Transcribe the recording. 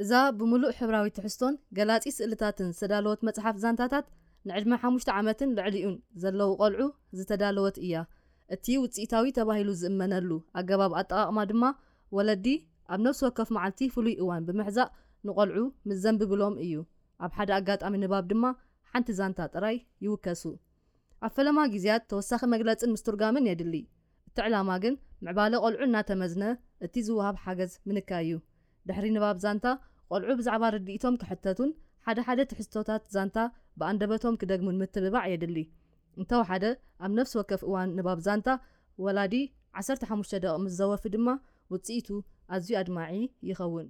እዛ ብምሉእ ሕብራዊ ትሕዝቶን ገላጺ ስእልታትን ዝተዳለወት መጽሓፍ ዛንታታት፣ ንዕድመ ሓሙሽተ ዓመትን ልዕሊኡን ዘለዉ ቈልዑ ዝተዳለወት እያ። እቲ ውጽኢታዊ ተባሂሉ ዝእመነሉ ኣገባብ ኣጠቓቕማ ድማ፣ ወለዲ ኣብ ነፍሲ ወከፍ መዓልቲ ፍሉይ እዋን ብምሕዛእ ንቖልዑ ምስ ዘንብብሎም እዩ። ኣብ ሓደ ኣጋጣሚ ንባብ ድማ ሓንቲ ዛንታ ጥራይ ይውከሱ። ኣብ ፈለማ ግዜያት ተወሳኺ መግለጽን ምስትርጓምን የድሊ። እቲ ዕላማ ግን ምዕባለ ቈልዑ እናተመዝነ እቲ ዝወሃብ ሓገዝ ምንካይ እዩ። ድሕሪ ንባብ ዛንታ፣ ቈልዑ ብዛዕባ ርድኢቶም ክሕተቱን ሓደ ሓደ ትሕዝቶታት ዛንታ ብኣንደበቶም ክደግሙን ምትብባዕ የድሊ። እንተወሓደ፣ ኣብ ነፍሲ ወከፍ እዋን ንባብ ዛንታ፣ ወላዲ ዓሰርተ ሓሙሽተ ደቂቕ ምስ ዘወፊ ድማ ውጽኢቱ ኣዝዩ ኣድማዒ ይኸውን።